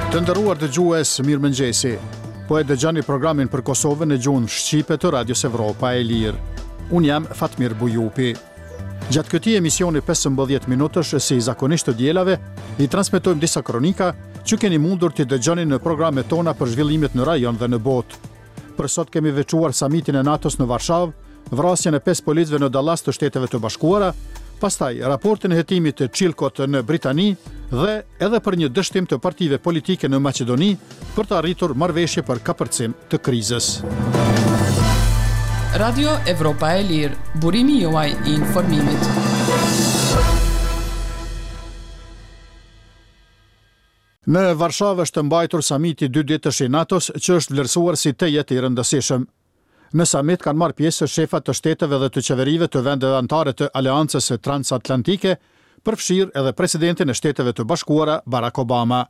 Të nderuar dëgjues, mirëmëngjesi. Po e dëgjoni programin për Kosovën në gjuhën shqipe të Radios Evropa e Lirë. Unë jam Fatmir Bujupi. Gjatë këtij emisioni 15 minutësh, si zakonisht të dielave, i transmetojmë disa kronika që keni mundur t'i dëgjoni në programet tona për zhvillimet në rajon dhe në botë. Për sot kemi veçuar samitin e NATO-s në Varshavë, vrasjen e 5 policëve në Dallas të Shteteve të Bashkuara, pastaj raportin e hetimit të Chilcot në Britani dhe edhe për një dështim të partive politike në Maqedoni për të arritur marrëveshje për kapërcim të krizës. Radio Evropa e Lirë, burimi juaj i informimit. Në Varshavë është mbajtur samiti dyditësh i NATO-s që është vlerësuar si tejet i rëndësishëm. Në samit kanë marrë pjesë shefa të shteteve dhe të qeverive të vendeve anëtare të Aleancës Transatlantike, përfshirë edhe presidentin e Shteteve të Bashkuara, Barack Obama.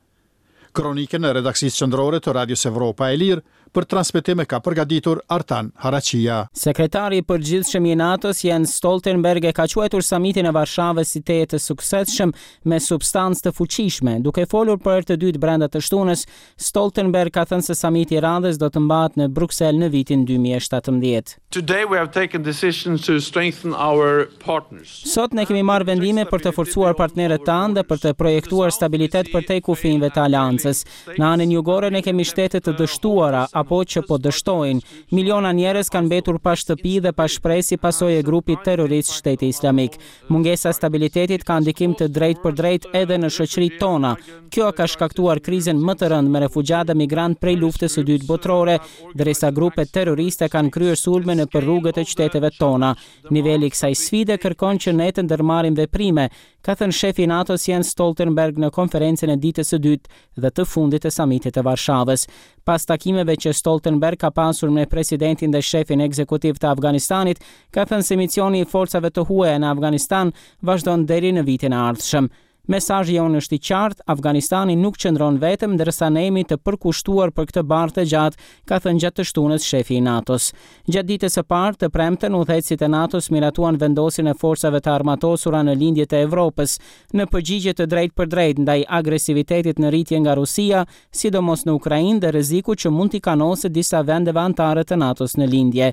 Kronikën e redaksisë qendrore të Radios Evropa e Lirë për transmetim e ka përgatitur Artan Haraqija. Sekretari i Përgjithshëm i NATO-s, Jens Stoltenberg e ka quajtur samitin e Varshavës si tejet të suksesshëm me substancë të fuqishme. Duke folur për herë të dytë brenda të shtunës, Stoltenberg ka thënë se samiti i radhës do të mbahet në Bruksel në vitin 2017. Today we have taken decisions to strengthen our partners. Sot ne kemi marrë vendime për të forcuar partnerët tanë dhe për të projektuar stabilitet përtej kufinjve të aleancës. Në anën jugore ne kemi shtete të dështuara apo që po dështojnë. Miliona njerëz kanë mbetur pa shtëpi dhe pa shpresë si pasojë e grupit terrorist Shteti Islamik. Mungesa e stabilitetit ka ndikim të drejtpërdrejtë edhe në shoqëritë tona. Kjo ka shkaktuar krizën më të rëndë me refugjatë dhe migrantë prej Luftës së Dytë Botërore, derisa grupet terroriste kanë kryer sulme nëpër rrugët e qyteteve tona. Niveli i kësaj sfide kërkon që ne të ndërmarrim veprime, ka thënë shefi i NATO-s Jens Stoltenberg në konferencën e ditës së dytë dhe të fundit të samitit të Varshavës. Pas takimeve që Stoltenberg ka pasur me presidentin dhe shefin ekzekutiv të Afganistanit, ka thënë se misioni i forcave të huaja në Afganistan vazhdon deri në vitin e ardhshëm. Mesazhi jonë është i qartë, Afganistani nuk qëndron vetëm, ndërsa ne jemi të përkushtuar për këtë barrë të gjatë, ka thënë gjatë të shtunës shefi i NATO-s. Gjatë ditës së parë, të premten, udhëheqësit e NATO-s miratuan vendosjen e forcave të armatosura në lindje të Evropës, në përgjigje të drejtpërdrejtë ndaj agresivitetit në rritje nga Rusia, sidomos në Ukrainë dhe rreziku që mund t'i kanoset disa vendeve anëtare të NATO-s në lindje.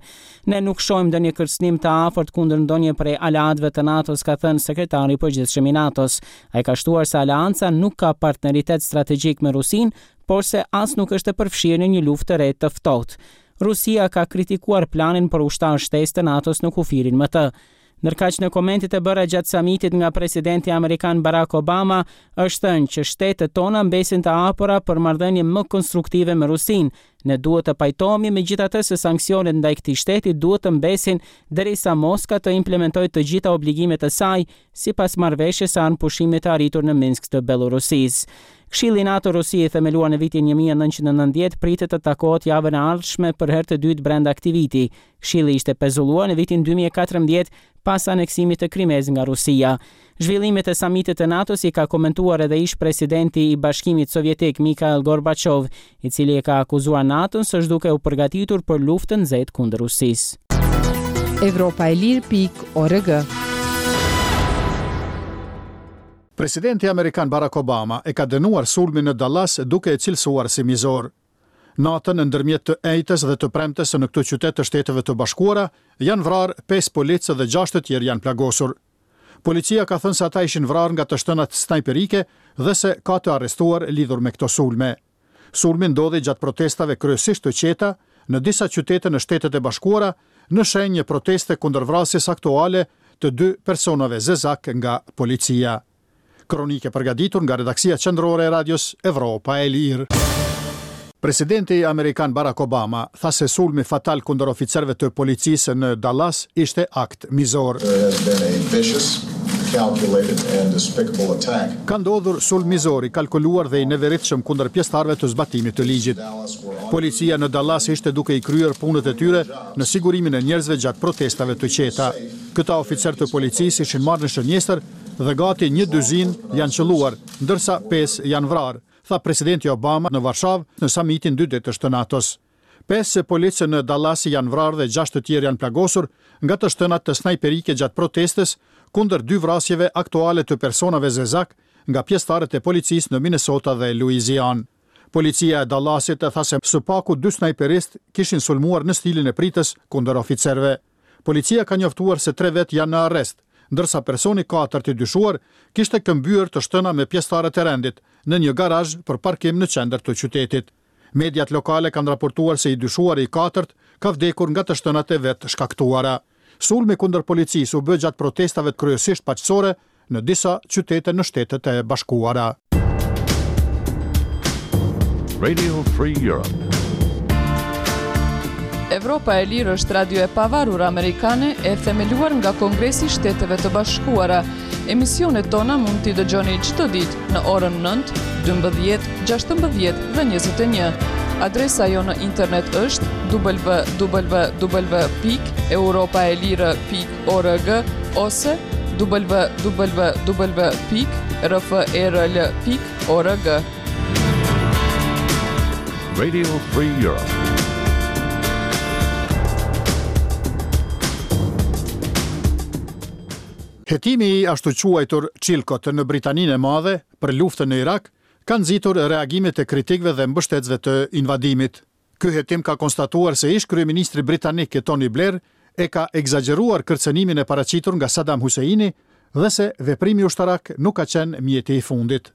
Ne nuk shohim ndonjë kërcënim të afërt kundër ndonjë prej aleatëve të NATO-s, ka thënë sekretari i përgjithshëm i NATO-s. Ai ka shtuar se aleanca nuk ka partneritet strategjik me Rusinë, por se as nuk është e përfshirë në një luftë të re të ftohtë. Rusia ka kritikuar planin për ushtarë shtesë të NATO-s në kufirin me të. Ndërkaq në komentet e bëra gjatë samitit nga presidenti amerikan Barack Obama, është thënë që shtetet tona mbesin të hapura për marrëdhënie më konstruktive me Rusinë. Ne duhet të pajtohemi megjithatë se sanksionet ndaj këtij shteti duhet të mbesin derisa Moska të implementojë të gjitha obligimet e saj sipas marrëveshjes së armëpushimit të arritur në Minsk të Bellorusisë. Këshilli NATO-Rusi i themeluar në vitin 1990 pritet të takohet javën e ardhshme për herë të dytë brenda këtij viti. Këshilli ishte pezulluar në vitin 2014 pas aneksimit të Krimesë nga Rusia. Zhvillimet e samitit të NATO-s i ka komentuar edhe ish-presidenti i Bashkimit Sovjetik Mikhail Gorbachev, i cili e ka akuzuar NATO-n se është duke u përgatitur për luftë të nxehtë kundër Rusisë. Evropa e Lirë pikë org. Presidenti amerikan Barack Obama e ka dënuar sulmin në Dallas duke e cilësuar si mizor. Natën ndërmjet të enjtes dhe të premtes në këtë qytet të Shteteve të Bashkuara janë vrarë pesë policë dhe gjashtë të tjerë janë plagosur. Policia ka thënë se ata ishin vrarë nga të shtënat snajperike dhe se ka të arrestuar lidhur me këto sulme. Sulmi ndodhi gjatë protestave kryesisht të qeta në disa qytete në Shtetet e Bashkuara në shenjë një proteste kundër vrasjes aktuale të dy personave zezakë nga policia. Kronikë e përgatitur nga redaksia qendrore e Radios Evropa e Lirë. Presidenti amerikan Barack Obama tha se sulmi fatal kundër oficerëve të policisë në Dallas ishte akt mizor. Ka ndodhur sulm mizor i kalkuluar dhe i neveritshëm kundër pjesëtarëve të zbatimit të ligjit. Policia në Dallas ishte duke i kryer punët e tyre në sigurimin e njerëzve gjatë protestave të qeta. Këta oficerë të policisë ishin marrë në shënjestër dhe gati një dyzinë janë qëlluar, ndërsa pesë janë vrarë, tha presidenti Obama në Varshavë në samitin dyditësh të NATO-s. Pesë policë në Dallas janë vrarë dhe gjashtë të tjerë janë plagosur nga të shtënat snajperike gjatë protestës kundër dy vrasjeve aktuale të personave zezakë nga pjesëtarët e policisë në Minnesota dhe Louisianë. Policia e Dallasit tha se së paku dy snajperistë kishin sulmuar në stilin e pritës kundër oficerëve. Policia ka njoftuar se tre vetë janë në arrest, ndërsa personi i katërt i dyshuar kishte këmbyer të shtëna me pjesëtarët e rendit në një garazh për parkim në qendër të qytetit. Mediat lokale kanë raportuar se i dyshuari i katërt ka vdekur nga të shtënat e vetëshkaktuara. Sulmi kundër policisë u bë gjatë protestave kryesisht paqësore në disa qytete në Shtetet e Bashkuara. Radio Free Europe. Evropa e Lirë është radio e pavarur amerikane e themeluar nga Kongresi i Shteteve të Bashkuara. Emisionet tona mund t'i dëgjoni çdo ditë në orën 9, 12, 16 dhe 21. Adresa jonë në internet është www.europaelire.org ose www.rferl.org. Radio Free Europe. Hetimi i ashtuquajtur Chilcot në Britaninë e Madhe për luftën në Irak ka nxitur reagimet e kritikëve dhe mbështetësve të invadimit. Ky hetim ka konstatuar se ish-kryeministri britanik Tony Blair e ka ekzagjeruar kërcënimin e paraqitur nga Saddam Husseini dhe se veprimi ushtarak nuk ka qenë mjeti i fundit.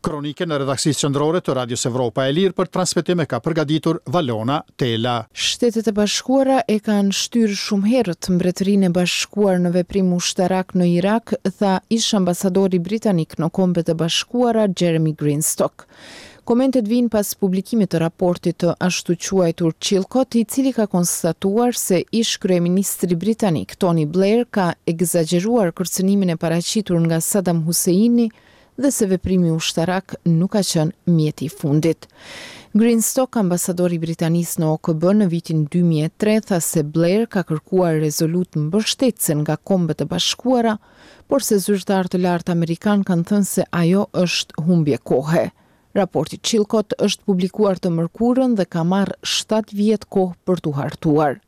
Kronikën e redaksisë qendrore të Radios Evropa e Lirë për transmetim e ka përgatitur Valona Tela. Shtetet e Bashkuara e kanë shtyrë shumë herët Mbretërinë e Bashkuar në veprim ushtarak në Irak, tha ish-ambasadori britanik në Kombet e Bashkuara, Jeremy Greenstock. Komentet vijnë pas publikimit të raportit të ashtuquajtur Chilcot, i cili ka konstatuar se ish-kryeministri britanik, Tony Blair ka ekzagjeruar kërcënimin e paraqitur nga Saddam Husseini dhe se veprimi ushtarak nuk ka qenë mjeti i fundit. Greenstock, ambasador i Britanisë në OKB në vitin 2003, tha se Blair ka kërkuar rezolutë mbështetëse nga Kombet e Bashkuara, por se zyrtarë të lartë amerikanë kanë thënë se ajo është humbje kohe. Raporti Chilcot është publikuar të mërkurën dhe ka marrë shtatë vjet kohë për t'u hartuar.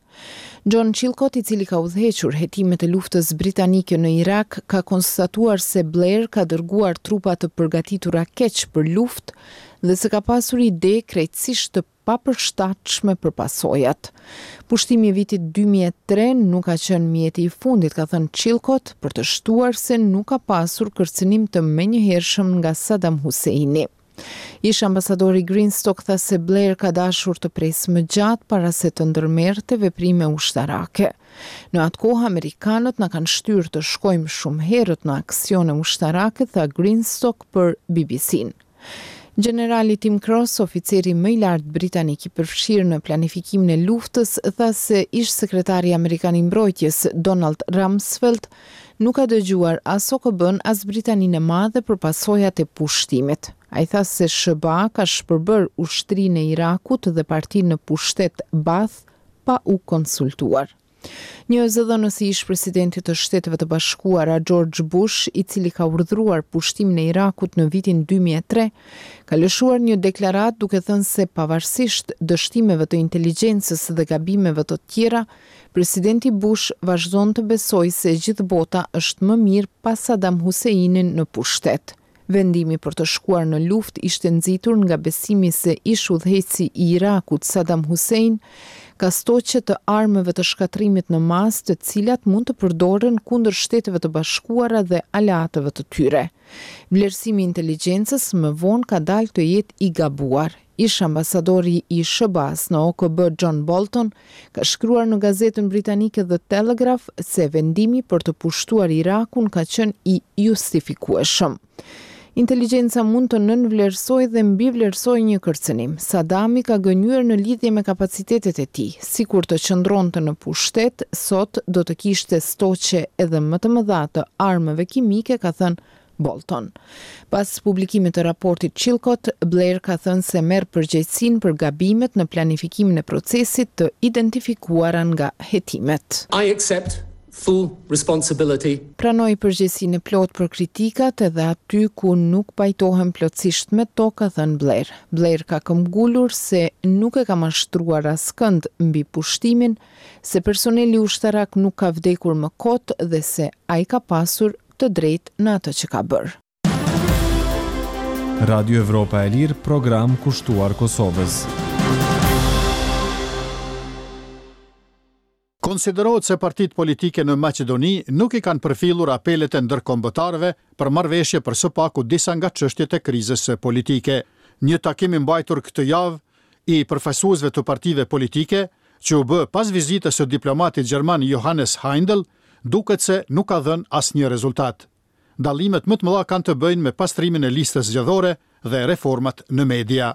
John Chilcot, i cili ka udhëhequr hetimet e luftës britanike në Irak, ka konstatuar se Blair ka dërguar trupa të përgatitura keq për luftë dhe se ka pasur ide krejtësisht të papërshtatshme për pasojat. Pushtimi i vitit 2003 nuk ka qenë mjeti i fundit, ka thënë Chilcot, për të shtuar se nuk ka pasur kërcënim të menjëhershëm nga Saddam Husseini. Ish-ambasadori Greenstock tha se Blair ka dashur të presë më gjatë para se të ndërmerrte veprime ushtarake. Në atë kohë amerikanët na kanë shtyrë të shkojmë shumë herët në aksione ushtarake, tha Greenstock për BBC-në. Gjenerali Tim Cross, oficeri më i lartë britanik i përfshirë në planifikimin e luftës, tha se ish-sekretari amerikan i mbrojtjes, Donald Rumsfeld, nuk ka dëgjuar as OKB-në as Britaninë e Madhe për pasojat e pushtimit. Ai tha se SHBA ka shpërbërë ushtrinë e Irakut dhe partinë në pushtet Baath pa u konsultuar. Një zëdhënës i ish-presidentit të Shteteve të Bashkuara, George Bush, i cili ka urdhëruar pushtimin e Irakut në vitin 2003, ka lëshuar një deklaratë duke thënë se pavarësisht dështimeve të inteligjencës dhe gabimeve të tjera, Presidenti Bush vazhdon të besojë se e gjithë bota është më mirë pa Saddam Husseinin në pushtet. Vendimi për të shkuar në luftë ishte nxitur nga besimi se ish-udhëheqësi i Irakut, Saddam Hussein, ka stoqe të armëve të shkatërrimit në masë të cilat mund të përdoren kundër Shteteve të Bashkuara dhe aleatëve të tyre. Vlerësimi i inteligjencës më vonë ka dalë të jetë i gabuar. Ish-ambasadori i SHBA-së në OKB John Bolton ka shkruar në gazetën britanike The Telegraph se vendimi për të pushtuar Irakun ka qenë i justifikueshëm. Inteligjenca mund të nënvlerësojë dhe mbivlerësojë një kërcënim. Sadami ka gënjyer në lidhje me kapacitetet e tij. Sikur të qëndronte në pushtet, sot do të kishte stoqe edhe më të mëdha të armëve kimike, ka thënë Bolton. Pas publikimit të raportit Chilcot, Blair ka thënë se merr përgjegjësinë për gabimet në planifikimin e procesit të identifikuara nga hetimet. I accept full responsibility. Pranoj përgjegjësinë e plotë për kritikat edhe aty ku nuk pajtohem plotësisht me to, ka thënë Blair. Blair ka këmbgulur se nuk e ka mashtruar askënd mbi pushtimin, se personeli ushtarak nuk ka vdekur më kot dhe se ai ka pasur të drejtë në atë që ka bërë. Radio Evropa e Lirë, program kushtuar Kosovës. Konsiderohet se partitë politike në Maqedoni nuk i kanë përfillur apelet e ndërkombëtarëve për marrëveshje për së paku disa nga çështjet e krizës politike. Një takim i mbajtur këtë javë i përfaqësuesve të partive politike, që u bë pas vizitës së diplomatit gjerman Johannes Heindl, duket se nuk ka dhënë asnjë rezultat. Dallimet më të mëdha kanë të bëjnë me pastrimin e listës zgjedhore dhe reformat në media.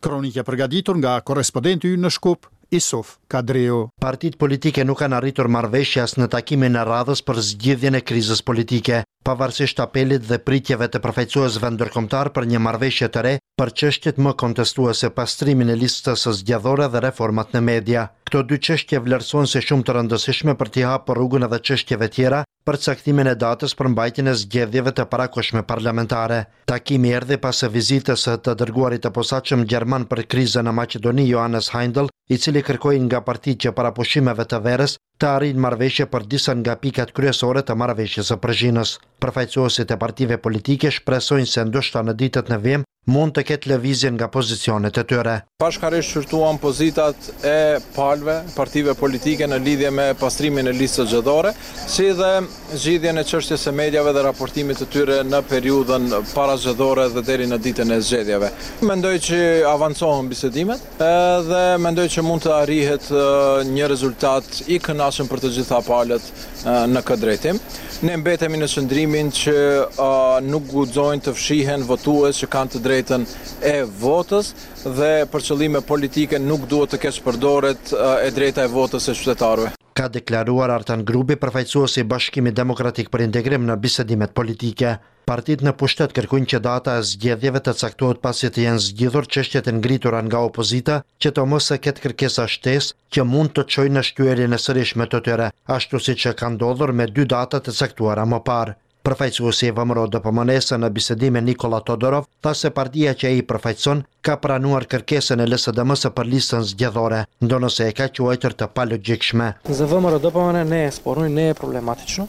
Kronikë e përgatitur nga korrespondenti ynë në Shkup, Isuf Kadriu. Partitë politike nuk kanë arritur marrëveshje as në takimin e radhës për zgjidhjen e krizës politike, pavarësisht apelit dhe pritjeve të përfaqësuesve ndërkombëtarë për një marrëveshje të re për çështjet më kontestuese, pastrimin e listës zgjedhore dhe reformat në media. Këto dy çështje vlerësohen si shumë të rëndësishme për t'i hapur rrugën edhe çështjeve tjera për caktimin e datës për mbajtjen e zgjedhjeve të parakohshme parlamentare. Takimi erdhi pas vizitës së të dërguarit të posaçëm gjerman për krizën në Maqedoni, Johannes Heindl, i cili kërkoi nga partitë që para pushimeve të verës të arrijnë marrëveshje për disa nga pikat kryesore të Marrëveshjes së Przhinës. Përfaqësuesit e partive politike shpresojnë se ndoshta në ditët në vijim mund të ketë lëvizje nga pozicionet e tyre. Bashkarisht shqyrtuam pozitat e palëve, partive politike në lidhje me pastrimin e listës zgjedhore, si dhe zgjidhjen e çështjes së mediave dhe raportimit të tyre në periudhën parazgjedhore dhe deri në ditën e zgjedhjeve. Mendoj që avancohen bisedimet dhe mendoj që mund të arrihet një rezultat i kënaqshëm për të gjitha palët në këtë drejtim. Ne mbetemi në qëndrimin që nuk guxojnë të fshihen votues që kanë të drejtën e votës dhe për qëllime politike nuk duhet të keqpërdoret e drejta e votës së qytetarëve. Ka deklaruar Artan Grubi, përfaqësues i Bashkimit Demokratik për Integrim në bisedimet politike. Partitë në pushtet kërkojnë që data e zgjedhjeve të caktohet pasi të jenë zgjidhur çështjet e ngritura nga opozita, që të mos ketë kërkesa shtesë që mund të çojnë në shtyrjen e sërishme të tyre, ashtu siç ka ndodhur me dy data të caktuara më parë. Përfaqësuesi i VMRO-DPMNE-së në bisedime Nikolla Todorov tha se partia që ai përfaqëson ka pranuar kërkesën e LSDM-së për listën zgjedhore, ndonëse e ka quajtur të palogjikshme. Za ВМРО-ДПМНЕ не е спорно и не е проблематично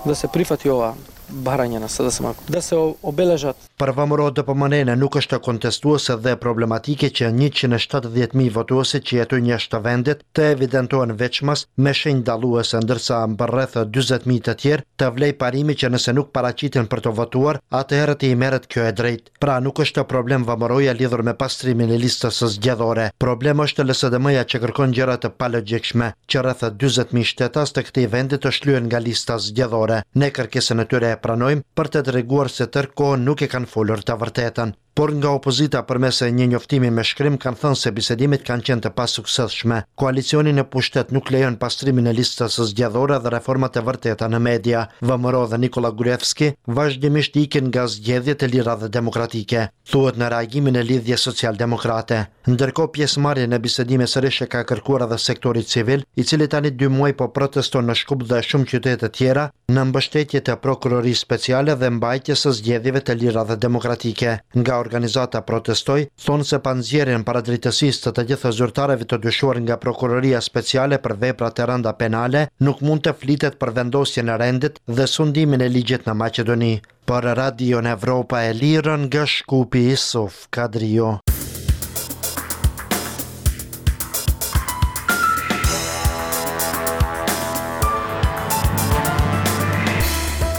да се прифати ова барање на СДСМ, да се обележат. Për VMRO-DPMNE-në nuk është kontestuese dhe problematike që 170.000 votuesit që jetojnë jashtë vendit të evidentohen veçmas me shenjë dalluese, ndërsa për rreth 40.000 të tjerë të vlejë parimi që nëse nuk paraqiten për të votuar, atëherë t'i merret kjo e drejtë. Pra nuk është problem VMRO-ja lidhur me pastrimin e listës zgjedhore. Problem është LSDM-ja që kërkon gjëra të palogjikshme, që rreth 40.000 shtetas të këtij vendi të shlyhen nga lista zgjedhore. Ne kërkesën e tyre e pranojmë për të treguar se tërë kohën nuk e kanë folur të vërtetën. Por nga opozita përmes një njoftimi me shkrim kanë thënë se bisedimet kanë qenë të pasuksesshme. Koalicioni në pushtet nuk lejon pastrimin e listës zgjedhore dhe reformat e vërteta në media. VMRO dhe Nikolla Gruevski vazhdimisht ikin nga zgjedhjet e lira dhe demokratike, thuhet në reagimin e Lidhjes Socialdemokrate. Ndërkohë pjesëmarrjen në bisedime sërish e ka kërkuar edhe sektori civil, i cili tani dy muaj po proteston në Shkup dhe shumë qytete tjera në mbështetje të Prokurorisë Speciale dhe mbajtjes së zgjedhjeve të lira dhe demokratike. Nga organizata Protestoj, thonë se pa nxjerrjen para drejtësisë të të gjithë zyrtarëve të dyshuar nga Prokuroria Speciale për vepra të rënda penale, nuk mund të flitet për vendosjen e rendit dhe sundimin e ligjit në Maqedoni. Për Radion Evropa e Lirë nga Shkupi Isuf Kadriu.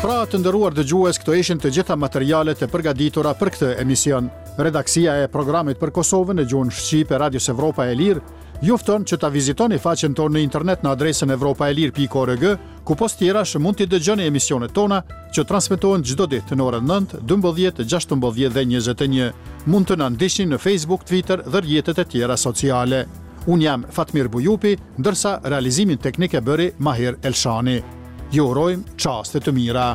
Pra, të nderuar dëgjues, këto ishin të gjitha materialet e përgatitura për këtë emision. Redaksia e programit për Kosovën në gjuhën shqipe Radios Evropa e Lirë ju fton që ta vizitoni faqen tonë në internet në adresën evropaelire.org, ku pos tjerash mund t'i dëgjoni emisionet tona që transmetohen çdo ditë në orën 9, 12, 16 dhe 21. Mund të na ndiqni në Facebook, Twitter dhe rrjetet e tjera sociale. Unë jam Fatmir Bujupi, ndërsa realizimin teknik e bëri Mahir Elshani. Ju urojmë çaste të mira.